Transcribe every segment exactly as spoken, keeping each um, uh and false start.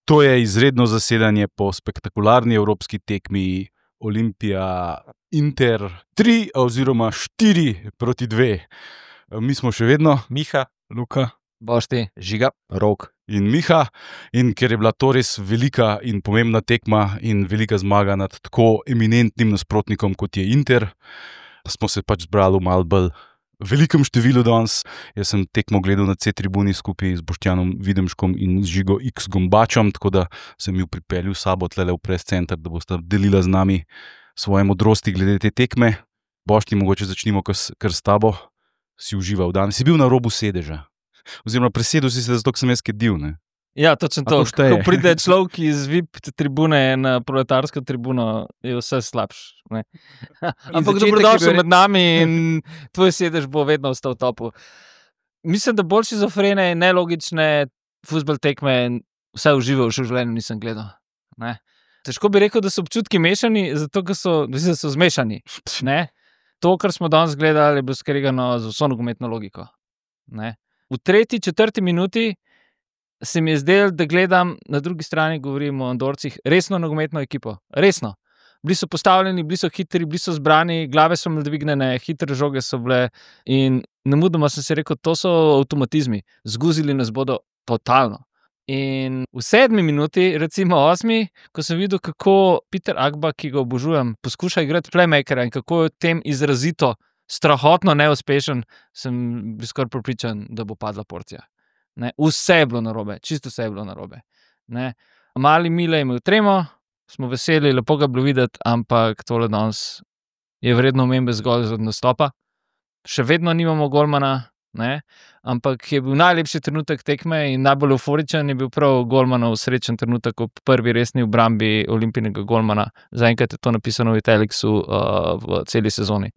To je izredno zasedanje po spektakularni evropski tekmi Olimpija Inter tri oziroma štiri proti dve. Mi smo še vedno Miha, Luka, Bošti, Žiga, Rok in Miha, in ker je bila to res velika in pomembna tekma in velika zmaga nad tako eminentnim nasprotnikom, kot je Inter, smo se pač zbrali v malo bolj velikem številu danes. Jaz sem tekmo gledal na C-tribuni skupaj z Boštjanom Videmškom in z Žigo X Gombačem, tako da sem ju pripeljal s sabo tlele v press center, da bosta delila z nami svoje modrosti glede te tekme. Bošti, mogoče začnimo kar s, kar s tabo. Si užival danes. Si bil na robu sedeža. Oziroma presedel si se, zato sem jaz kedil, ne? Ja, točno to. Ko pride človek iz V I P tribune na proletarsko tribuno, je vse slabš. Ne? Ampak dobrodošel med nami in tvoj sedež bo vedno ostal v topu. Mislim, da bolj šizofrene in nelogične fuzbal tekme vse užival še v življenju nisem gledal. Ne? Težko bi rekel, da so občutki mešani, zato ker so, mislim, so zmešani. Ne? To, kar smo danes gledali, je bilo skregano z vso nogometno logiko. Ne? V tretji, četrti minuti se mi je zdelo, da gledam, na drugi strani govorimo o Andorcih, resno nogometno ekipo. Resno. Bili so postavljeni, bili so hitri, bili so zbrani, glave so imeli dvignjene, hitre žoge so bile in nemudoma sem si rekel, to so avtomatizmi. Zguzili nas bodo totalno. In v sedmi minuti, recimo osmi, ko sem videl, kako Peter Agba, ki ga obožujem, poskuša igrati playmakera in kako je v tem izrazito, strahotno neuspešen, sem bil skoraj prepričan, da bo padla porcija. Ne, vse je bilo narobe, čisto vse je bilo narobe. Ne. Mali Mile je imel tremo, smo veseli, lepo ga bilo videti, ampak tole danes je vredno omembe zgolj za nastopa. Še vedno nimamo golmana, ne, ampak je bil najlepši trenutek tekme in najbolj euforičen je bil prav golmanov srečen trenutek ob prvi resni obrambi Olimpijinega golmana. Zaenkrat je to napisano v Italicsu uh, v celi sezoni.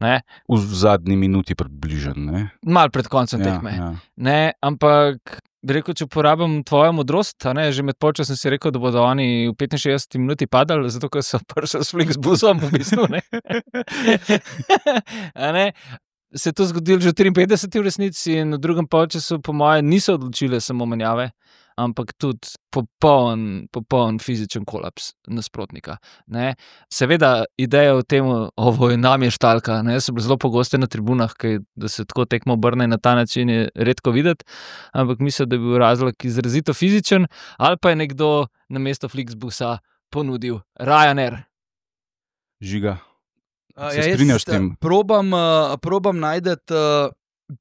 Ne. V zadnji minuti približen, ne? Mal pred koncem Ja, tekme. ja. Ne, ampak bi rekel, če uporabim tvojo modrost, a ne, že med polčasom si rekel, da bodo oni v petinšestdeseti minuti padali, zato ker so prišli s Flixbusom v bistvu, ne. A ne. Se je to zgodilo že v triinpetdeseti v resnici in v drugem polčasu po moje niso odločile samo menjave, ampak tudi popoln, popoln fizičen kolaps nasprotnika. Ne. Seveda ideja o tem, ovo je nam je štalka, ne, so bile zelo pogoste na tribunah, kaj, da se tako tekmo obrne na ta način je redko videti, ampak mislim, da je bil razlog izrazito fizičen, ali pa je nekdo namesto Flixbusa ponudil Ryanair. Žiga, Uh, se ja, jaz strinjaš s tem? Probam, uh, probam najti uh,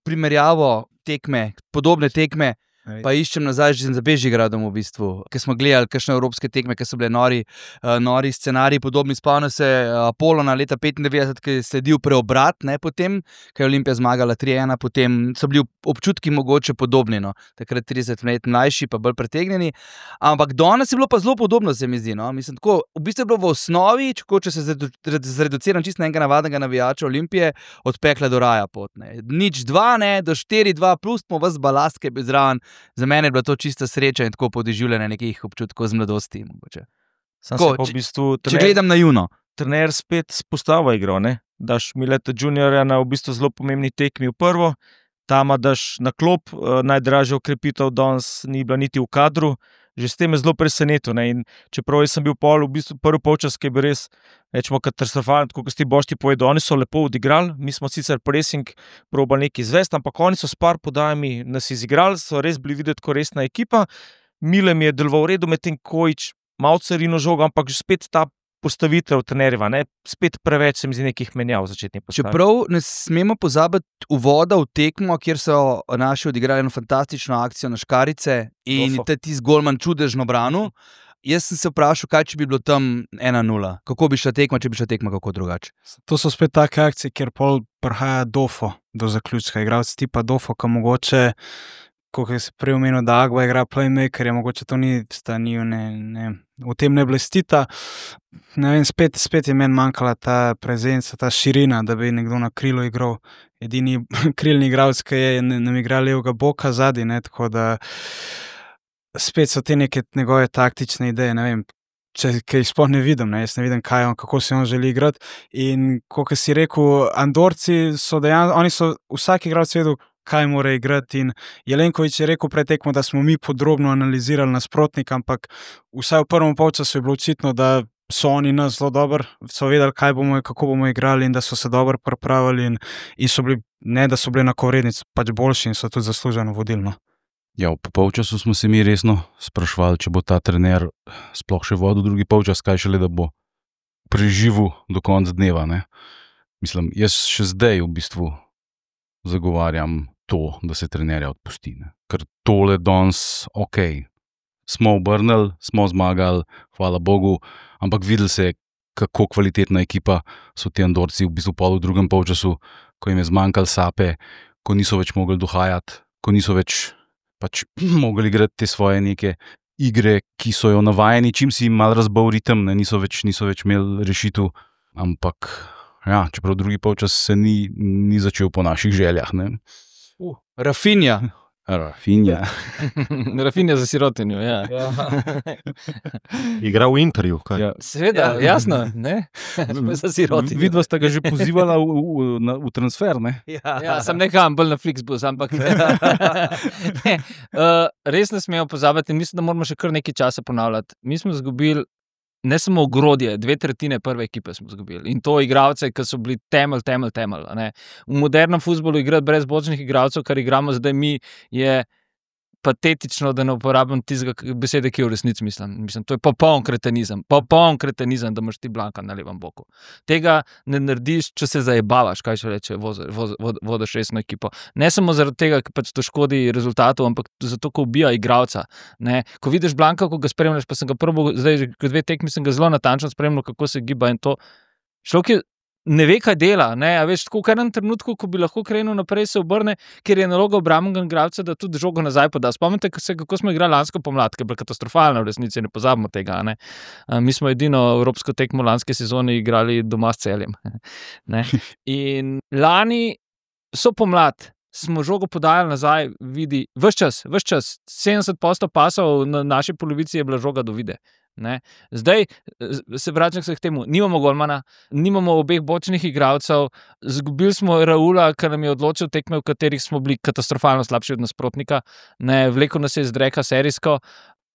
primerjavo tekme, podobne tekme, Ej. pa iščem nazaj že za Bežigradom v bistvu, ker smo gledali kakšne evropske tekme, ki so bile nori, uh, nori scenariji, podobni. Spomnim se uh, Apolona leta petindevetdeset, ki je sledil preobrat, ne, potem, ko je Olimpija zmagala tri ena, potem so bili občutki mogoče podobni, no. Takrat trideset let mlajši, pa bolj pretegnjeni. Ampak danes je bilo pa zelo podobno, se mi zdi, no. Mislim, tako, v bistvu je bilo v osnovi, če, če se zredu- zreduciram čisto na enega navadnega navijača Olimpije, od pekla do raja pot, ne. Nič dva, ne, do štiri dva, plus smo vas balast, ki je bil zraven. Za mene je bila to čista sreča in tako podeživljanje nekih občutkov z mladosti, mogoče. Sam Tako, se pa v če- bistvu Če trener, gledam na Juno. trener spet spostava igro, ne? Daš Mileta Juniorja na v bistvu zelo pomembni tekmi v prvo, Tama daš na klop, eh, najdražja okrepitev danes ni bila niti v kadru, že s tem je zelo presenetil, ne? In čeprav jaz sem bil pol, v bistvu prvi polčas, ki je bil res, rečemo, katastrofalen, tako kot ste Bošti povedali, oni so lepo odigrali, mi smo sicer pressing probali nekaj izvesti, ampak oni so s par podajami nas izigrali, so res bili videti kot resna ekipa. Mile mi je deloval v redu, medtem Kojić malo carino žogo, ampak že spet ta postavitev trenerjeva, ne, spet preveč se mi zdi nekih menjav v začetni postavi. Čeprav ne smemo pozabiti uvoda v tekmo, kjer so naši odigrali eno fantastično akcijo na škarice in Dofo. te tisti golman čudežno branil. Jaz sem se vprašal, kaj če bi bilo tam ena nula. Kako bi šla tekma, če bi šla tekma kako drugače. To so spet take akcije, kjer pol prihaja Dofo do zaključka. Igralec tipa Dofo, ki mogoče, kot je se prej omenil, da Agba igra playmaker, je mogoče to ni stanil, ne, ne, v tem ne blestita. Ne vem, spet, spet je meni manjkala ta prezenca, ta širina, da bi nekdo na krilu igral. Edini krilni igralec, ki je, ne, nam igra levega boka zadaj, ne, tako da spet so te neke njegove taktične ideje, ne vem, če kaj sploh ne vidim, ne, jaz ne vidim, kaj on, kako se on želi igrati. In kot si rekel, Andorci so dejansko, oni so vsak igralec vedel, kaj mora igrati. In Jelenkovič je rekel pred tekmo, da smo mi podrobno analizirali nasprotnika, ampak vsaj v prvem polčasu je bilo očitno, da so oni nas zelo dobro, so vedeli, kaj bomo, kako bomo igrali in da so se dobro pripravili in, in so bili, ne da so bili enakovredni, pač boljši in so tudi zasluženo vodilno. Ja, v polčasu smo se mi resno sprašvali, če bo ta trener sploh še vodil drugi polčas, kaj šele, da bo preživel do konca dneva. Ne? Mislim, jaz še zdaj v bistvu zagovarjam to, da se trenerja odpusti. Ne? Ker tole danes, ok, smo obrnili, smo zmagali, hvala Bogu, ampak videli se, kako kvalitetna ekipa so ti Andorci v bistvu pol v drugem polčasu, ko jim je zmanjkalo sape, ko niso več mogli dohajati, ko niso več pač mogli igrati te svoje neke igre, ki so jo navajeni, čim si jim malo razbal ritem, ne, niso več, niso več imeli rešitev, ampak ja, čeprav drugi polčas se ni, ni začel po naših željah. Ne. Uh, Rafinha. Rafinha. Rafinha za sirotinjo, ja. Igra v Interju, kaj? Ja. Seveda, ja. Jasno, ne? Za sirotinjo. Vidva sta ga že pozivala v, v, na, v transfer, ne? Ja, ja sem nekam bolj na Flixbus, ampak ne. Uh, res ne smemo pozabiti in mislim, da moramo še kar nekaj časa ponavljati. Mi smo izgubili ne samo ogrodje, dve tretjine prve ekipe smo izgubili. In to igralce, ki so bili temelj, temelj, temelj. Ne. V modernem fuzbolu igrati brez bočnih igralcev, kar igramo zdaj mi, je patetično, da ne uporabim tistega besede, ki je v resnici mislim. mislim. To je popoln kretenizem. Popoln kretenizem, da imaš ti Blanka na levem boku. Tega ne narediš, če se zajebavaš, kaj še reče, vodiš resno ekipo. Ne samo zaradi tega, ker pač to škodi rezultatu, ampak zato, ko ubija igralca. Ne? Ko vidiš Blanka, ko ga spremljaš, pa sem ga prvo, zdaj že dve tekmi sem ga zelo natančno spremljal, kako se giba in to. Človek je ne ve, kaj dela, ne, a veš, tako v enem trenutku, ko bi lahko krenil naprej, se obrne, ker je naloga obrambnega igralca, da tudi žogo nazaj poda. Spomnite se, kako smo igrali lansko pomlad, ki je bila katastrofalna v resnici, ne pozabimo tega, ne. Mi smo edino evropsko tekmo lanske sezone igrali doma s Celjem. Ne. In lani so pomlad, smo žogo podajali nazaj, vidi, ves čas, ves čas, sedemdeset posto pasov na naši polovici je bila žoga do vide. Ne. Zdaj se vračam se k temu, nimamo golmana, nimamo obeh bočnih igralcev, zgubili smo Raula, ker nam je odločil tekme, v katerih smo bili katastrofalno slabši od nasprotnika, ne, vlekel nas je z dreka serijsko,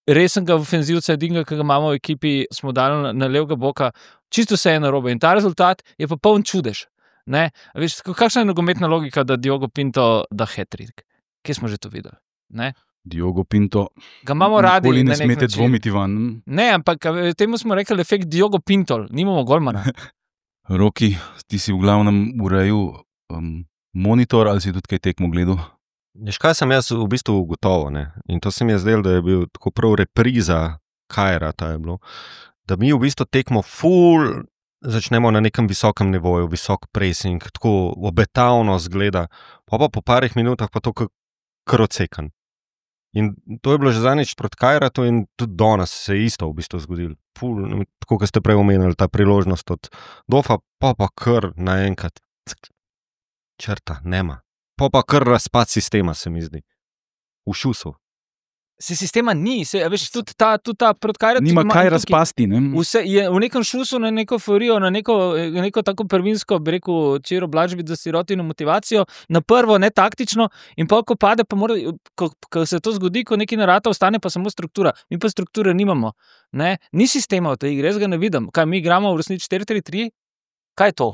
resnega ofenzivca edinega, ki ga imamo v ekipi, smo dali na, na levega boka, čisto vse je narobe in ta rezultat je pa poln čudež. Ne. Veš, kakšna je nogometna logika, da Diogo Pinto da hat-trick? Kje smo že to videli? Ne. Diogo Pinto, ga imamo radi, nikoli ne smete dvomiti van. Ne, ampak temu smo rekli efekt Diogo Pinto, nimamo golmana. Roki, ti si v glavnem urejal um, monitor ali si tudi kaj tekmo gledal? Veš, kaj sem jaz v bistvu ugotovil, ne? In to se mi je zdelo, da je bil tako prav repriza Kajra, ta je bilo, da mi v bistvu tekmo ful začnemo na nekem visokem nivoju, visok pressing, tako obetavno zgleda, pa pa po parih minutah pa to kar odsekan. In to je bilo že zadnjič proti Kajratu in tudi danes se je isto v bistvu zgodilo. Ful, tako, kot ste prej omenili, ta priložnost od Dofa, pa pa kar naenkrat črta, nema. Pa pa kar razpad sistema, se mi zdi. V šusu. Se sistema ni, se, veš, tudi ta, tudi ta proti Kajratu nima kaj razpasti, ne? Vse je v nekem šusu, na neko forijo, na neko, neko tako prvinsko, bi rekel, Čiro Blažbit za sirotino motivacijo, na prvo ne taktično in pa ko pade, pa mora, ko, ko se to zgodi, ko neki narata ostane pa samo struktura. Mi pa strukture nimamo, ne? Ni sistema v tej igri, jaz ga ne vidim. Kaj, mi igramo v resnici štiri tri tri? Kaj je to?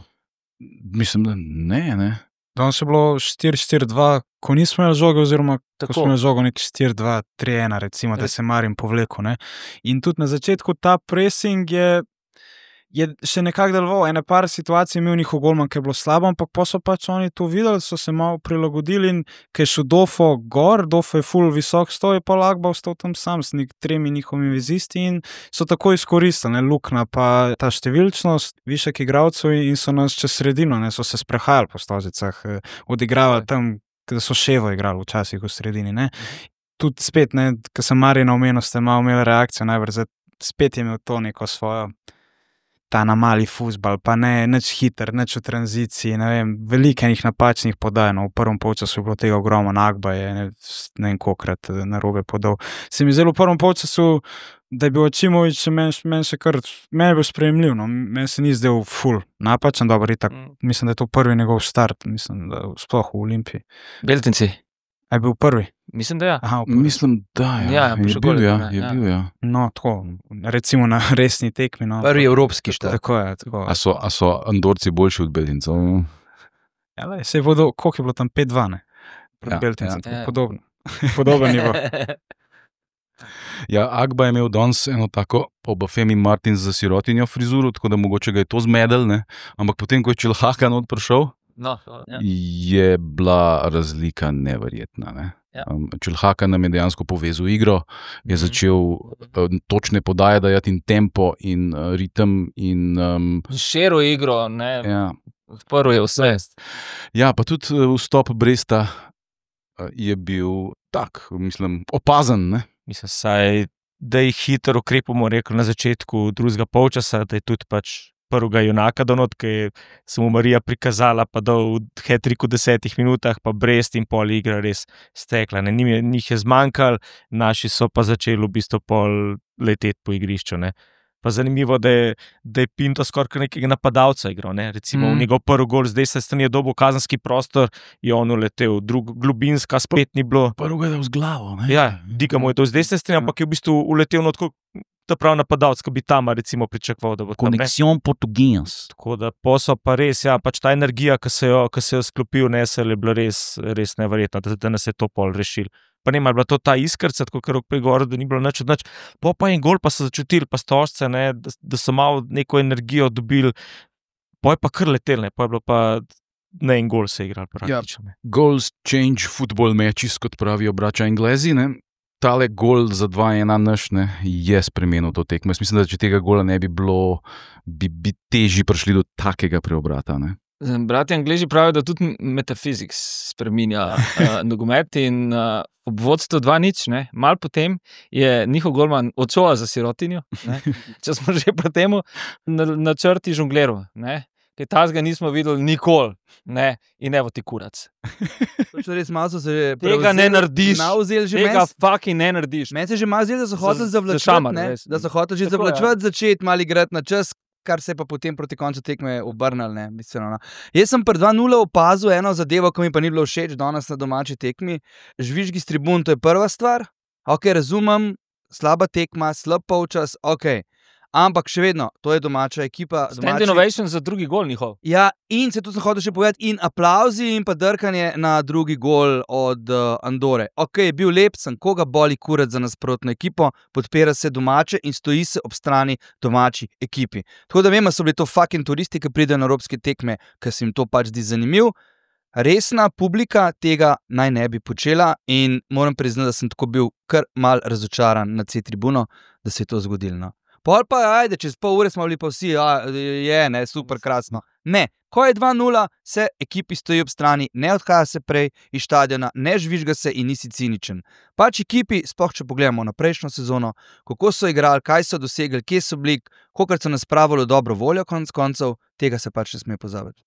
Mislim, da ne, ne. Danes je bilo štiri štiri dva, ko nismo imeli žoge, oziroma Tako. ko smo imeli žogo nek štiri dva tri ena, recimo, da se Marin povlekel. Ne? In tudi na začetku ta pressing je, je še nekako deloval. Ene par situacij imel njihov golman, ki je bilo slabo, ampak pa so pač oni to videli, so se malo prilagodili in kaj šel Dofo gor, Dofo je ful visok stoj, pa Lagba ostal tam sam s nek tremi njihovimi vezisti in so tako izkoristili, ne, lukna pa ta številčnost, višek igralcev in so nas čez sredino, ne, so se sprehajali po stozicah, odigravali tam, da so ševo igrali včasih v sredini, ne. Tudi spet, ne, ko sem Marina omenil, ste malo imeli reakcijo, najbrž spet je imel to neko svojo ta na mali fuzbal, pa ne, nič hiter, nič v tranziciji, ne vem, veliko enih napačnih podaj, no, v prvem polčasu je bilo tega ogromno, Nagba je, ne, ne vem kolikrat narobe podal. Se mi zdelo v prvem polčasu da je bil Očimović, meni men še kar, meni je bil sprejemljiv, no. Meni se ni zdel ful napačen, dobro, itak, Mm. mislim, da je to prvi njegov start, mislim, da sploh v Olimpiji. Beltinci. A je bil prvi? Mislim, da ja. Aha, v prvi. Mislim, da ja. Ja, je še bil, gol je ja, bil, ne, je ja. bil, ja. No, tako, recimo na resni tekmi, no. Prvi evropski štart. Tako je, tako. A so, a so Andorci boljši od Beltincev? Ja, lej, se je vodo, koliko je bilo tam pet dva, ne? Proti Ja, Beltincem, ja. tako Ja. podobno. Podoben nivo. Ja, Agba je imel danes eno tako Obafemi Martin za sirotinjo frizuro, tako da mogoče ga je to zmedel, ne? Ampak potem, ko je Čilhaka not prišel, No, ja. je bila razlika neverjetna. Ne? Ja. Um, Čilhaka nam je dejansko povezal igro, je Mhm. začel uh, točne podaje dajati in tempo in uh, ritem in um, Šero igro, ne, ja. odprl je vse. Ja, pa tudi uh, vstop Bresta uh, je bil tak, mislim, opazen. Ne? Mislim, saj, da je hitro ukrepamo, rekel na začetku drugega polčasa, da je tudi pač prvega junaka donot, ki je se mu Marija prikazala, pa dal hat-trick v desetih minutah, pa Brest in pol igra res stekla. Ne, njim je, njih je zmanjkalo, naši so pa začeli v bistvu pol leteti po igrišču. Ne. Pa zanimivo, da je, da je Pinto skoraj nekega napadalca igral. Ne. Recimo Mm. v njegov prvi gol z desne strani je dobil kazenski prostor, je on uletel, drug globinska spet ni bilo. Prvo je dal z glavo. Ne? Ja, Diga mu je to z desne strani, ampak je v bistvu uletel na tako, ta prav napadalec, ki bi tam recimo pričakoval, da bo tam. Ne. Konexion portugues. Tako da posel pa res, ja, pač ta energija, ki se jo, ki se jo sklopil, nesel, je bila res, res neverjetna, da, da nas je to pol rešil. Pa ne, ali je bila to ta iskrca, tako ker je govoril, da ni bilo nič od nič. Po pa en gol, pa so začutili, pa stožce, ne, da, da so malo neko energijo dobili, po je pa kar letel, ne, po je bilo pa ne en gol se igral praktično. Ja. Goals change football matches, kot pravijo braća Anglezi. Ne? Tale gol za dva ena naš ne, je spremenil to tekmo. Jaz mislim, da če tega gola ne bi bilo, bi, bi težje prišli do takega preobrata. Ne? Bratje Angleži pravijo, da tudi metafiziks spreminja uh, nogomet in uh, ob vodstvu dva nič, ne, malo potem je njihov golman odšel za sirotinjo, ne, če smo že pri tem na, na črti žongleru, ne, kaj tazga nismo videli nikoli, ne, in evo ti kurac. Točno res malo so se Tega ne narediš, Navzel že tega meni. fucking ne narediš. Meni se že malo zdi, da so hoteli Za- zavlačevati, zašamar, ne, res. da so hoteli že Tako, ja. zavlačevati, začeti malo igrati na čas, kar se je pa potem proti koncu tekme obrnilo. Ne, bistveno, no. Jaz sem pri dva nula opazil eno zadevo, ki mi pa ni bilo všeč danes na domači tekmi. Žvižgi s tribun, to je prva stvar. Ok, razumem, slaba tekma, slab polčas, ok. Ampak še vedno, to je domača ekipa. Stand domači- innovation za drugi gol njihov. Ja, in se to sem hotel še povedati, in aplauzi in pa drkanje na drugi gol od uh, Andore. Ok, je bil lep, sem koga boli kurat za nasprotno ekipo, podpira se domače in stoji se ob strani domači ekipi. Tako da vem, da so bili to fucking turisti, ki pridejo na evropske tekme, ker se jim to pač zdi zanimiv. Resna publika tega naj ne bi počela in moram priznati, da sem tako bil kar mal razočaran na C-tribuno, da se je to zgodilo. No. Pol pa, ajde, čez pol ure smo bili pa vsi, a, je, ne, super, krasno. Ne, ko je dva nula, se ekipi stoji ob strani, ne odhaja se prej iz štadiona, ne žvižga se in nisi ciničen. Pač ekipi, sploh če pogledamo na prejšnjo sezono, kako so igrali, kaj so dosegli, kje so bili, kolikor so nas spravili v dobro voljo, konec koncev, tega se pač ne sme pozabiti.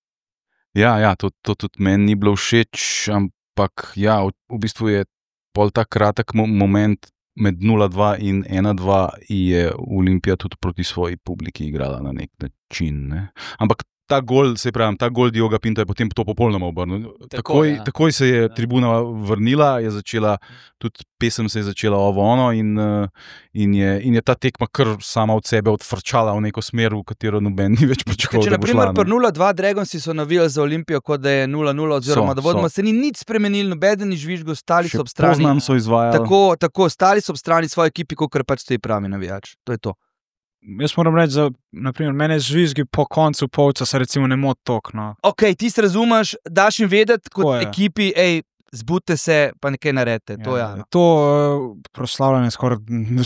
Ja, ja to, to tudi meni ni bilo všeč, ampak ja, v, v bistvu je pol ta kratek mo moment med nula dva in ena dva je Olimpija tudi proti svoji publiki igrala na nek način. Ne? Ampak ta gol, se pravi, ta gol Dioga Pinta je potem to popolnoma obrnil. Takoj, ja. takoj se je tribuna vrnila, je začela, tudi pesem se je začela ovo ono in, in, je, in je ta tekma kar sama od sebe odfrčala v neko smer, v katero noben ni več pričakoval. Če da bo naprimer šla, ne. pri nula dva Dragonsi so navijali za Olimpijo, kot da je nula nula, oziroma So, da vodoma so. se ni nič spremenilo, nobeden ni žvižgal, stali Še so ob strani. Poznan so izvajali. Tako, tako, stali so ob strani svoje ekipi, kot pač stoji pravi navijač. To je to. Jaz moram reči, da naprimer, mene žvižgi po koncu polčasa recimo ne moti tok. No. Ok, ti se razumeš, daš jim vedeti kot Tako je. ekipi, hej, zbudite se, pa nekaj naredite. To, ja, no. to uh, proslavljanje skoraj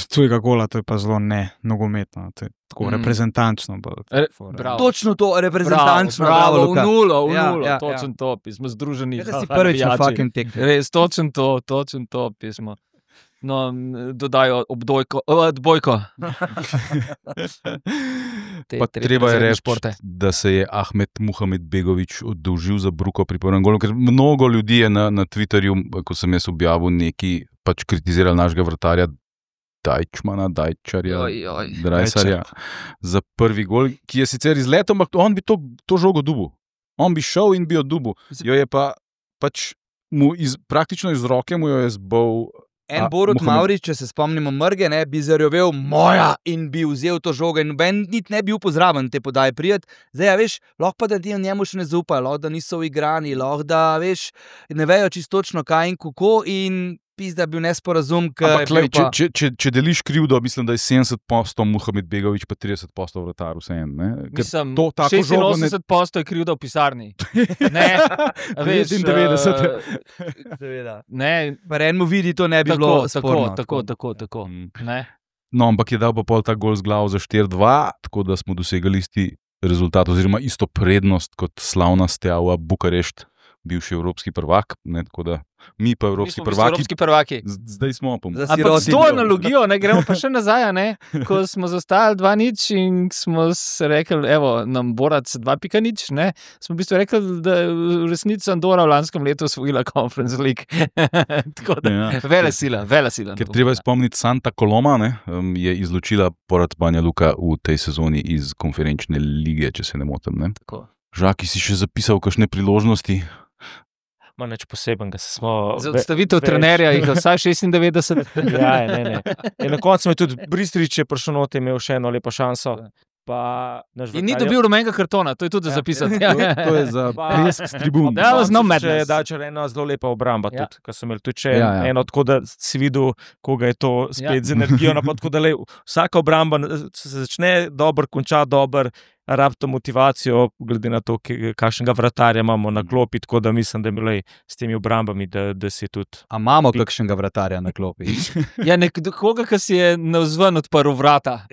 tujega gola, to je pa zelo ne nogometno, to je tako Mm. mm. reprezentančno. Pa, Re, fora. bravo. Točno to, reprezentančno. Bravo, bravo, bravo, Luka. v nulo, v Ja, nulo, ja, točen ja. top, smo združeni. Ja, da si prvič na fucking tekmi. Res, točen to, točen top smo. No, dodajo obdojko, odbojko. Te Pa tretje treba je razredne reči, športe. da se je Ahmed Muhamed Begović oddolžil za bruko pri prvem golu, ker mnogo ljudi je na, na Twitterju, ko sem jaz objavil neki, pač kritizirali našega vratarja, Dajčmana, Dajčarja, Oj, oj. Drajsarja za prvi gol, ki je sicer izletel, ampak on bi to, to žogo dubu. On bi šel in bi jo dubu. Jo je pa pač mu iz, praktično iz roke mu jo je zbol. En A, Borut Mohamed- Mavrič, če se spomnimo Mrge, ne, bi zarjovel moja in bi vzel to žogo in noben niti ne bi bil pozraven te podaje prijet. Zdaj, a veš, lahko pa da ti njemu še ne zaupajo, lahko da niso uigrani, lahko da, veš, ne vejo čisto točno kaj in kako in pizda bil nesporazum, ker Ampak, je glej, bil pa... če, če, če, če deliš krivdo, mislim, da je sedemdeset posto Mohamed Begović, pa trideset posto vratar vseeno. ne. Ker Mislim, to tako žogo ne- šestinosemdeset posto je krivda v pisarni. Ne, a veš, devetindevetdeset. eh, Seveda. ne, Pa enemu vidi, to ne bi tako, bilo tako, sporno. tako, tako, tako. Mm. Ne. No, ampak je dal pa pol ta gol z glavo za štiri dva, tako da smo dosegali isti rezultat, oziroma isto prednost kot slavna Steaua Bukarešt, bivši evropski prvak. Ne, tako da mi pa Mi evropski smo v bistvu prvaki, evropski prvaki. z- zdaj smo pa. Za Ampak s siroti to bil. analogijo, ne, gremo pa še nazaj, a ne, ko smo zostali dva nič in smo se rekli, evo, nam Borac dva pika nič, ne, smo v bistvu rekli, da je v resnici Andora v lanskem letu osvojila Conference League. Tako da, Ja. vele sila, vele sila. Ker treba je spomniti, Santa Coloma ne, um, je izločila Porat Banja Luka v tej sezoni iz konferenčne lige, če se ne motim. Ne. Tako. Žaki si še zapisal kakšne priložnosti? Ma nič posebenega, se smo. Za ve- odstavitev več- trenerja jih je vsaj šestindevetdeset. Ja, ne, ne. In na koncu je tudi Bristrič je prišel not, je imel še eno lepo šanso. Pa, naš In ni vratar je- dobil rumenega kartona, to je tudi za Ja, zapisati. To, to je za Pa- plesk s tribun. That was no Če madness. je Dačar ena zelo lepa obramba, Ja. tudi, ko so imeli tudi še Ja, ja, ja. ja. eno, tako da si videl, koga je to spet Ja. ja. z energijo. No, pa tako da, lej, vsaka obramba se začne dobro, konča dobro, rab to motivacijo, glede na to, ki- kakšnega vratarja imamo na klopi, tako da mislim, da lej, s temi obrambami, da, da si tudi. A imamo kakšnega vratarja na klopi? Ja, nekoga, ki si je navzven odprl vrata.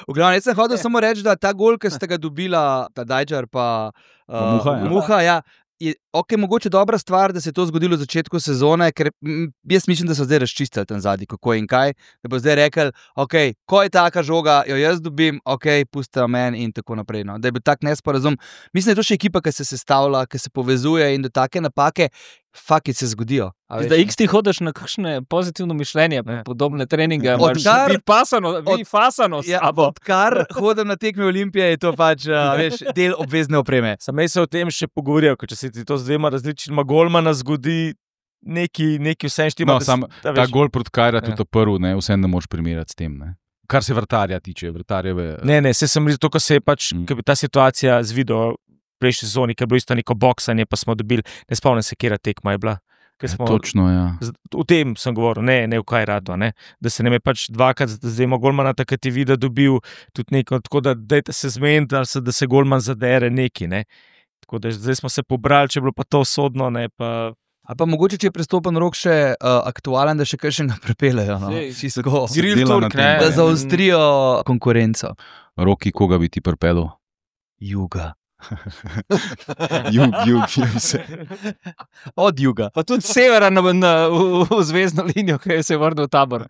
V glavnem, jaz sem hotel samo reči, da ta gol, ki ste ga dobila, ta Dajčar pa uh, Muha, ja. Muha, ja, je okay, mogoče dobra stvar, da se je to zgodilo v začetku sezone, ker mm, jaz mislim, da so zdaj razčistili tam zadnji, kako in kaj. Da bo zdaj rekel, okay, ko je taka žoga, jo jaz dobim, ok, pusti meni in tako naprej. No. Da je bil tak nesporazum. Mislim, da je to še ekipa, ki se sestavlja, ki se povezuje in da take napake. Faki se zgodijo. a veš, Da ne. X ti hodiš na kakšne pozitivno mišljenje, Ja. podobne treninge, Odkar- imaš vi pasano, vi od- fasano s Ja, sabo. odkar hodim na tekme Olimpije, je to pač a, veš, del obvezne opreme. Sam se o tem še pogovoril, ker če se ti to z dvema različnima golmana zgodi, neki, neki vse štima. No, sam da, ta veš, gol proti Kajra, Ja. tudi prvi, ne, vse ne moreš primerjati s tem. Ne. Kar se vrtarja tiče, vrtarjeve. Ne, ne, se sem rekel, to, ko se je pač, Mm. mm. ta situacija z video v prejšnji sezoni, ker je bilo isto neko boksanje, pa smo dobili, ne spomnim se, kera tekma je bila. Ker Smo, Točno, ja. z- o tem sem govoril, ne, ne v kaj rado, ne? Da se nam je pač dvakrat, zdaj ima golmana, takrat je videl, dobil tudi neko, tako da dajte se zmeniti, da se, da se golman zadere neki, ne. Tako da zdaj smo se pobrali, če je bilo pa to sodno, ne pa. A pa mogoče, če je prestopen rok še uh, aktualen, da še kakšnega prepeljejo. No? Sej, Čisto tako. se dela na tem, Da ne. zaostrijo konkurenco. Roki, koga bi ti prpelo? Juga. Jug, jug, jug se. Od juga. Pa tudi severa na, na, v, v zvezdno linijo, ki je se vrnil v tabor.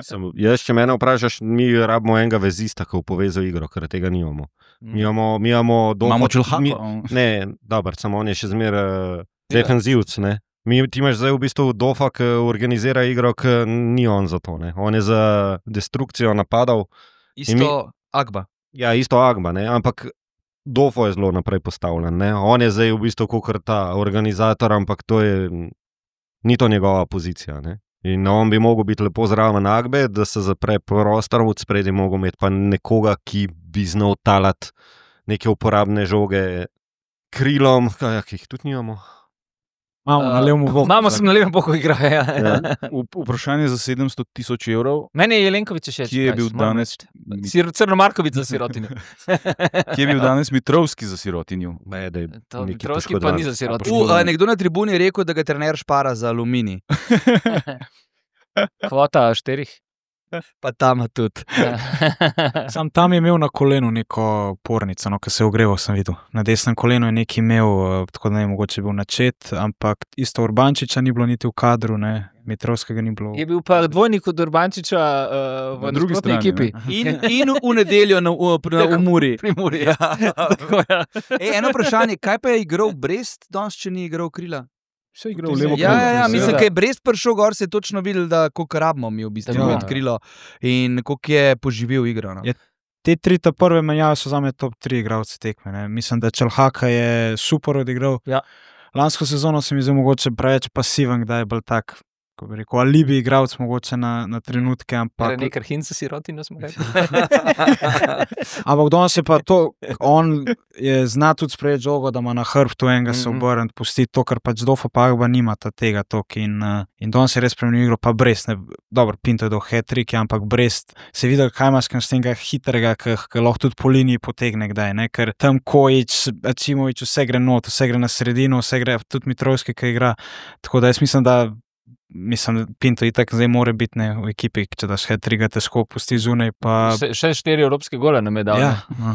Sem, jaz, če mene vprašaš, mi rabimo enega vezista, ki bo povezal igro, ker tega nimamo. Mi imamo, mi imamo doma. Imamo čelhako. mi- Ne, dobro, samo on je še zmeraj uh, defenzivc. Ne. Mi, ti imaš zdaj v bistvu Dofa, ki organizira igro, ki ni on za to. Ne. On je za destrukcijo napadov. Isto mi- Agba. Ja, isto Agba, ne. Ampak Dofo je zelo naprej postavljen. Ne. On je zdaj v bistvu kot ta organizator, ampak to je, ni to njegova pozicija. Ne. In on bi mogel biti lepo zraven Agbe, da se zapre prostor, od spredi mogel imeti pa nekoga, ki bi znal talati neke uporabne žoge krilom, kaj, ki jih tudi nimamo. Imamo na levem boku. Imamo sem na levem boku igra. Ja. V- Vprašanje za sedemsto tisoč evrov. Meni je Jelenkovič še Kje je bil danes, Crnomarkovič za sirotinjo. kje je bil danes Mitrovski za sirotinjo? Ne, da je To neki Mitrovski pa poškodovan. ni za U, sirotinjo. a, nekdo na tribuni je rekel, da ga trener špara za aluminij. Kvota štirih. Pa tam tudi. Sam tam je imel na kolenu neko pornico, no, ki se je ogreval, sem videl. Na desnem kolenu je nekaj imel, eh, tako da ne vem, mogoče je bil načet, ampak isto Urbančiča ni bilo niti v kadru, ne, Mitrovskega ni bilo. Je bil pa dvojnik od Urbančiča uh, v Na drugi nasprotni strani, ekipi. ne. In, in v nedeljo na, v, na, v Muri. Pri Muri. Ja. Tako, ja. Ej, eno vprašanje, kaj pa je igral Brest, danes, če ni igral krila? Vse igral levo Ja, ja, ja, mislim, Seveda. da je Brest prišel gor, se je točno videl, da koliko rabimo mi v bistvu Tako je. odkrilo in koliko je poživel igro. No. Je- Te tri ta prve menjave so zame top tri igralci tekme. Ne. Mislim, da Čelhaka je super odigral. Ja. Lansko sezono se mi zdi mogoče preveč pasiven, da je bolj tak, ko bi rekel, alibi igralec mogoče na, na trenutke, ampak Nekaj hinca si rotino smo rekli. Ampak danes je pa to, on je zna tudi sprejeti žogo, da ima na hrbtu enega se Mhm. obrniti, pusti to, kar pač Dofo pa Agba nimata tega tok in, uh, in danes je res spremenil igro, pa Brest, ne, dobro, Pinto je do hat-trick, ampak Brest se je videl, kaj ima s tem hitrega, ki lahko tudi po liniji potegne kdaj, ne, ker tam Kojič, Acimovič, vse gre not, vse gre na sredino, vse gre tudi Mitrovski, ki igra, tako da jaz mislim, da Mislim, Pinto itak zdaj mora biti ne, v ekipi, če daš hat-tricka težko pusti zunaj. Pa... Še, še štiri evropske gole nam je dal. Ja, no.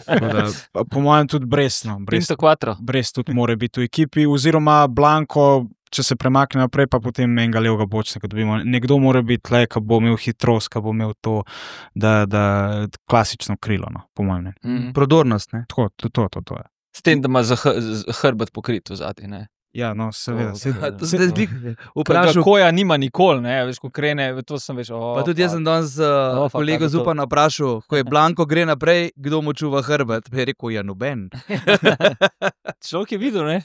Tako da, pa po mojem tudi Brest, no. Brest, Pinto quattro. Brest tudi mora biti v ekipi, oziroma Blanko, če se premakne naprej, pa potem enega levega bočnika dobimo. Nekdo mora biti tle, ki bo imel hitrost, ki bo imel to, da, da klasično krilo, no, po mojem. Ne. Mhm. Prodornost, ne? Tako, to, to, to, to je. S tem, da ima za hr- z- hrbet pokrit v zadnji, ne. Ja, no, seveda. To- seveda. to- Zdaj bi Vprašal, vprašal, koja nima nikoli, ne, veš, ko krene, to sem veš, oh, pa tudi jaz sem danes uh, Oh, fuck, kolego kaj bo to? Zupana vprašal, ko je Blanko gre naprej, kdo mu čuva hrbet. Pa je rekel, ja, noben. Človek je videl, ne.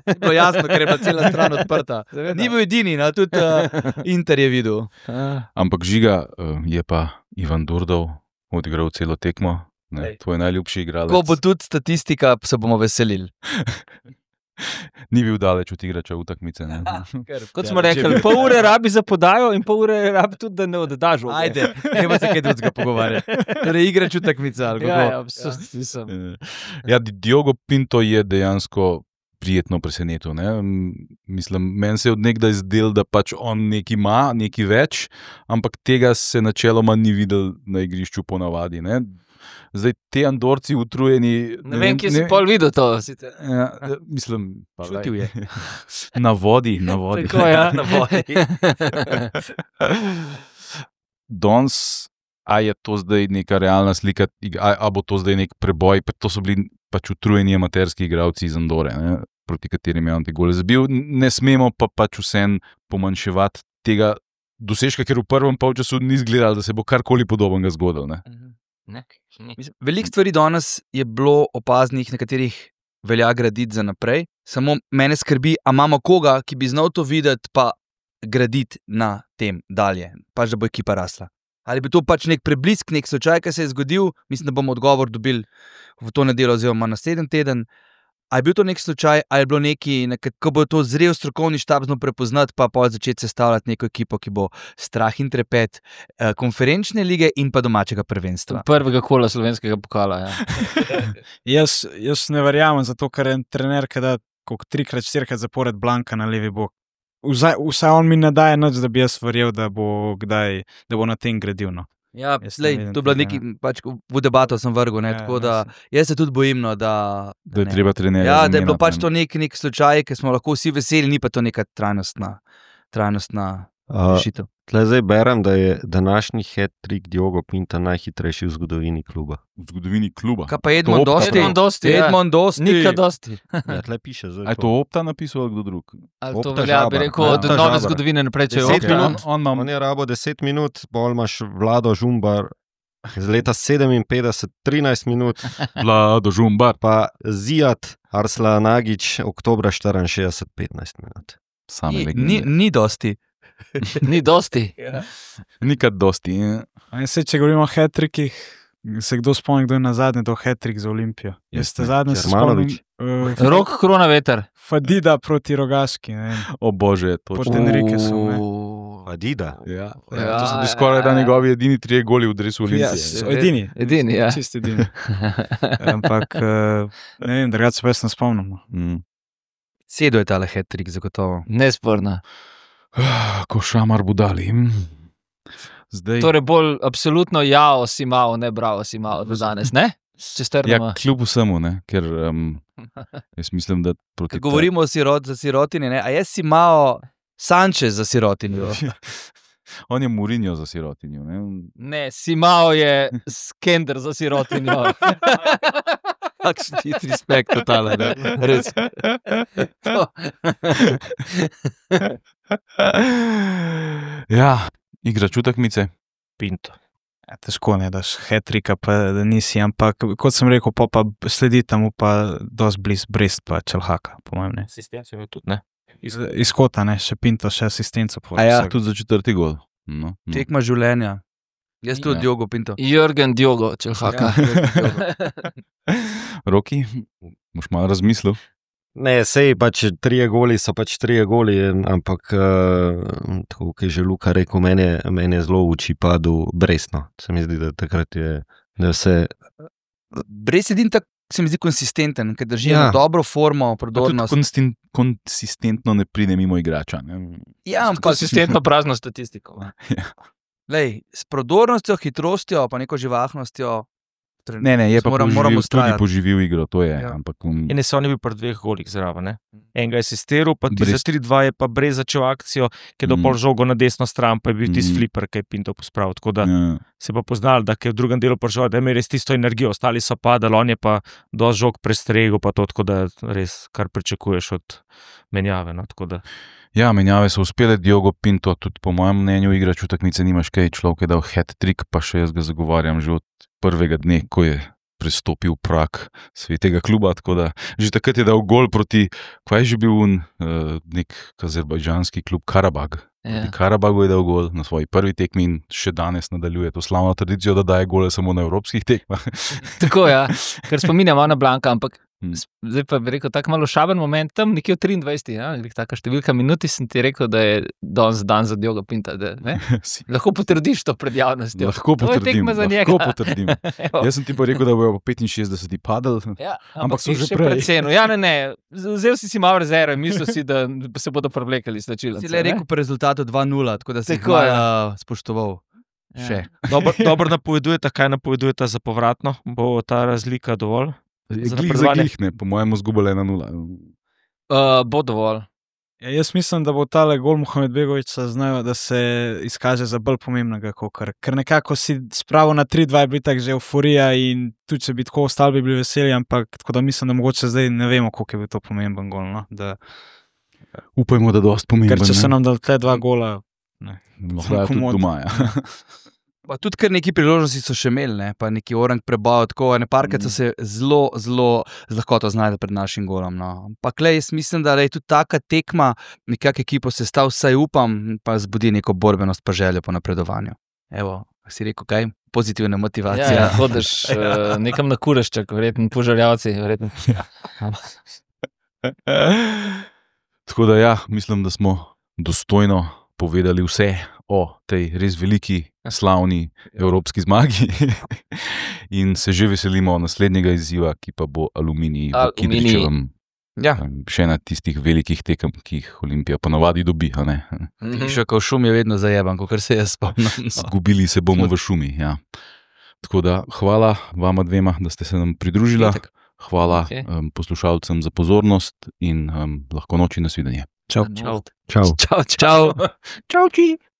Ni bilo jasno, ker je bila cela stran odprta. Ni bil edini, no, tudi uh, Inter je videl. Ampak žiga eh, je pa Ivan Durdov odigral celo tekmo. Ne, Ej. tvoj najljubši igralec. Ko bo tudi statistika, se bomo veselili. Ni bil daleč od igrača v takmice. ne. Kot smo rekli, pol ure rabi za podajo in pol ure rabi tudi, da ne oddaš. žoge. Ajde, gremo se kaj drugega pogovarjati. Torej, igra čutekmica. ali Ja, kako? ja, absolutno nisem. Eh, Ja, Di- Diogo Pinto je dejansko prijetno presenetil. Ne? M, Mislim, meni se je od nekdaj zdel, da pač on nekaj ima, nekaj več, ampak tega se načeloma ni videl na igrišču ponavadi. Ne? Zdaj, te Andorci utrujeni. Ne vem, kje si pol videl to. sicer. Ja, eh, mislim, pa glej. Čutil je. Na vodi, na vodi. Tako, ja. Na vodi. Danes, a je to zdaj neka realna slika, a, a bo to zdaj nek preboj, pa to so bili pač utrujeni amaterski igralci iz Andore, ne, proti katerim je on te gole zabil. Ne smemo pa pač vsem pomanjševati tega dosežka, ker v prvem polčasu ni izgledalo, da se bo karkoli podobnega zgodilo. Ne. Ne, ni. Mislim, Veliko stvari danes je bilo opaznih, na katerih velja graditi za naprej. Samo mene skrbi, a imamo koga, ki bi znal to videti, pa graditi na tem dalje, pač da bo ekipa rasla. Ali bi to pač nek preblisk, nek slučaj, ki se je zgodil, mislim, da bomo odgovor dobili v to nedeljo oziroma naslednji teden. Ali je bil to nek slučaj, ali je bilo neki, ko bo to zrel strokovni štab znal prepoznati, pa pol začeti sestavljati neko ekipo, ki bo strah in trepet eh, konferenčne lige in pa domačega prvenstva. Prvega kola slovenskega pokala. Ja. Jaz, jaz ne verjamem, zato ker je en trener, ki da koliko trikrat, štirikrat zapored Blanka na levi bok. Vsaj, vsaj on mi ne daje nič, da bi jaz verjel, da bo, kdaj, da bo na tem gradil. No. Ja, Jaz ne lej, vidim to je bilo tega, neki, pač v debato sem vrgel, ne, Ja, tako ja, da jaz se tudi bojim, no, da, Da je ne. treba trenerja. Ja, da je bilo zamenjati, pač ne. to nek, nek slučaj, ki smo lahko vsi veseli, ni pa to neka trajnostna, trajnostna Uh, rešitev. Tle zdaj berem, da je današnji hat-trick Diogo Pinta najhitrejši v zgodovini kluba. V zgodovini kluba. Kaj pa Edmond To Opta Dosti? Edmond Dosti, ja. Edmond Dosti. Nikaj dosti. Ja, tle piše zdaj. A je to Opta napisal ali kdo drug? Ali to Opta velja, bi Žabar. rekel, Ja, od Opta nove Žabar. zgodovine naprej, če je Deset Opta. minut. On, on ima On je rabo deset minut, bolj imaš Vlado Žumbar iz leta sedeminpetdeset, trinajst minut, Vlado Žumbar. pa Zijat Arslanagić, oktobra štiriinšestdeset, petnajst minut. Same Ni, legende. ni, ni dosti. Ni dosti. Nikad dosti. ja. A in se, če govorimo o hat-trickih, se kdo spomni, kdo je na zadnje dal hat-trick za Olimpijo? Jaz ste zadnje se spomnim. Germanović. Uh, Rok, krona, veter. Fadida proti Rogaški. Ne vem. O bože, to Proti Enriquesu, ne. Adida. Ja, Ja, ja, to so bili ja, skoraj da ja. njegovi edini trije goli v dresu Ja, Olimpije. so edini. Edini, ja. Čist edini. Ampak, uh, ne vem, drugače se pa jaz ne spomnim. no. Mm. Sedo je tale hat-trick, zagotovo. Nesporna. Ah, Ko šamar budali. mm. Zdaj, Torej bolj absolutno jao si malo, ne bravo si malo do danes, ne? Če strnemo. ja, kljub vsemu, ne, ker um, jaz mislim, da proti Ko govorimo o sirot, za sirotini, ne, a jaz si malo Sanchez za sirotinjo. ta- On je Mourinho za sirotinjo. Ne? Ne, si malo je skender za sirotinjo. Kakšen ti respekt, totalen, ne? Res. To. Ja, igra čutekmice. Pinto. Ja, težko ne daš hat-tricka, pa da nisi, ampak kot sem rekel, pa, pa sledi tam pa dosti bliz Brest pa Čelhaka, po mojem ne. Asistencijo je tudi, ne? Iz, iz kota, ne, še Pinto, še asistenco. A ja, Tudi za četrti gol. No, no. tekma življenja. Jaz tudi Ja. Diogo Pinto. Jürgen Diogo, Čelhaka. Roki, boš malo razmislil. Ne, sej pač trije goli so pač trije goli, ampak uh, tako, kot je že Luka rekel, meni je, meni je zelo v oči padel Brestno. Se mi zdi, da takrat je, da je vse. Brez edin tak se mi zdi konsistenten, ker drži Ja. ja. dobro formo, Pa tudi prodornost. konstin, konsistentno ne pride mimo igrača. Ne? Ja, ampak Konsistentno prazno statistiko. lej, s prodornostjo, hitrostjo, pa neko živahnostjo. Ne, ne, je pa moram, poživil, moramo tudi vztrajati. poživil igro, to je. Ja. Ja. Ampak, um, In se on je bil pri dveh golih zraven. Ne? Enega je asistiral, pa ti za Brest. tri dva je pa brez začel akcijo, ki je Mm. dopol žogo na desno stran, pa je bil tisti Mm. fliper, ki je Pinto pospravil. Tako da ja. se pa poznal, da je v drugem delu prišel, da je imel res tisto energijo, ostali so padali, on je pa dosti žog prestregel, pa to, tako da res kar pričakuješ od menjave. No? Tako da ja, menjave so uspele, Diogo Pinto, tudi po mojem mnenju, igra čutekmice, nimaš kaj, človek je dal hat-trick, pa še jaz ga zagovarjam že od prvega dne, ko je prestopil prak svetega kluba, tako da že takrat je dal gol proti, kaj je že bil un, uh, nek azerbajdžanski klub Karabag. Ja. Proti Karabagu je dal gol na svoji prvi tekmi in še danes nadaljuje to slavno tradicijo, da daje gole samo na evropskih tekmah. Tako ja, ker spominjam na Blanka, ampak Mm. zdaj pa bi rekel, tako malo šaben moment, tam nekje v triindvajsetih, ja, taka številka minuti sem ti rekel, da je danes dan za Diogo Pinta, da ne? Si- Lahko potrdiš to pred javnostjo. Lahko To je potrdim, tekma za lahko njega. potrdim. Evo. Jaz sem ti pa rekel, da bojo po petinšestdeseti padli. Ja, Ampak so si že še prej. precenil. Ja, ne, ne, vzel si si malo rezerve, mislil si, da se bodo prevlekali slačilnice. Si le rekel po rezultatu dva nula, tako da si jih Tako, malo ja. uh, spoštoval. Ja. Še. dobro, dobro napovedujete, kaj napovedujete za povratno, bo ta razlika dovolj. Za Glih za napredovanje. glih, ne, po mojem zgubili ena nula. Uh, bo dovolj. Ja, jaz mislim, da bo tale gol Muhammedbegovića znajo, da se izkaže za bolj pomembnega, kakor, ker nekako si spravo na tri dva je bila tako že euforija in tudi če bi tako ostali, bi bili veseli, ampak tako da mislim, da mogoče zdaj ne vemo, koliko je bil to pomemben gol. No? Da, Upajmo, da dosti pomemben. ker če ne. so nam dali te dva gola, ne. Lahko je tudi komot. doma. Ja. Pa tudi kar neki priložnosti so še imeli, ne? Pa neki orang preboj, tako ene parkrat so se zelo, zelo z lahkoto znašli pred našim golom. No. Ampak le, jaz mislim, da je tudi taka tekma, nekako ekipo se stav, vsaj upam, pa zbudi neko borbenost pa željo po napredovanju. Evo, si rekel kaj? Pozitivna motivacija. Ja, ja, hodiš uh, nekam na kurešček, verjetno požarjavci. Verjetno. Tako da ja, mislim, da smo dostojno povedali vse o tej res veliki, slavni evropski zmagi in se že veselimo naslednjega izziva, ki pa bo Aluminij v Aluminij. Kidričevem. Ja. Še ena tistih velikih tekem, ki jih Olimpija ponavadi dobi. a ne. Mhm. Še kao šum je vedno zajeban, kot se jaz spomnim. No. Zgubili se bomo v šumi. Ja. Tako da hvala vama dvema, da ste se nam pridružila. Itak. Hvala Okej. um, poslušalcem za pozornost in um, lahko noči nasvidenje. Čau. Čau. Čau. Čau, čau. Čau, či.